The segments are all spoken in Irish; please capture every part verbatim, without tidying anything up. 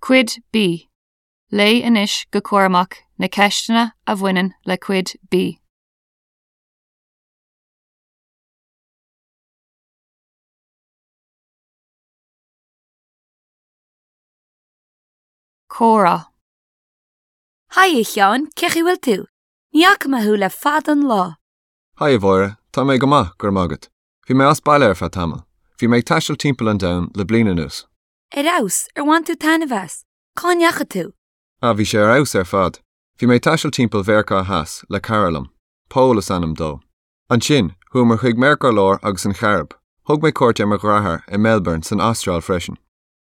Cuid B. Léigh anois go cúramach na ceisteanna a bhaineann le Cuid B. Comhrá. Haigh a Sheáin, cén chaoi a bhfuil tú? Ní fhaca mé thú le fada an lá. Haigh a Mháire, tá mé go maith go raibh maith agat. Bhí mé as baile ar feadh tamaill. Bhí mé ag taisteal timpeall an domhain le bliain anuas. Ar fheabhas, ar bhain tú taitneamh as? Cá ndeachaigh tú? Ah bhí sé ar fheabhas ar fad. Bhí mé ag taisteal timpeall Mheiriceá Theas le cara liom. Pól is ainm dó. Ansin, chuamar chuig Meiriceá Láir agus an Chairib. Thug mé cuairt ar mo dheartháir i Melbourne san Astráil freisin.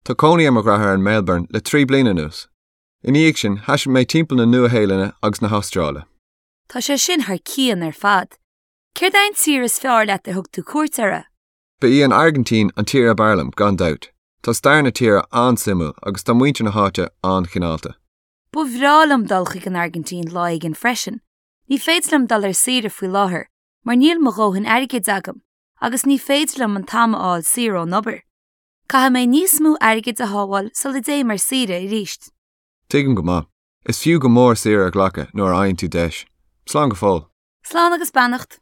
Tá cónaí ar mo dheartháir in Melbourne le trí bliana anuas. Ina dhiaidh sin thaistil mé timpeall na Nua-Shéalainne agus na hAstráile. Tá sé sin thar cionn ar fad. Céard é an tír is fearr leat ar thug tú cuairt uirthi? Ba í an Airgintín an tír ab fhearr liom gan dabht. Tá stair na tíre an-suimiúil agus tá muintir na háite an-chineálta. Ba bhreá liom dul chuig an Airgintín lá éigin freisin. Ní féidir liom dul ar saoire faoi láthair, mar níl mo dhóthain airgid agam, agus ní féidir liom an t-am a fháil saor ón obair. Caithfidh mé níos mó airgid a shábháil sula dtéim ar saoire arís. Tuigim go maith. Is fiú go mór saoire a ghlacadh nuair a fhaigheann tú deis. Slán go fóill. Slán agus beannacht.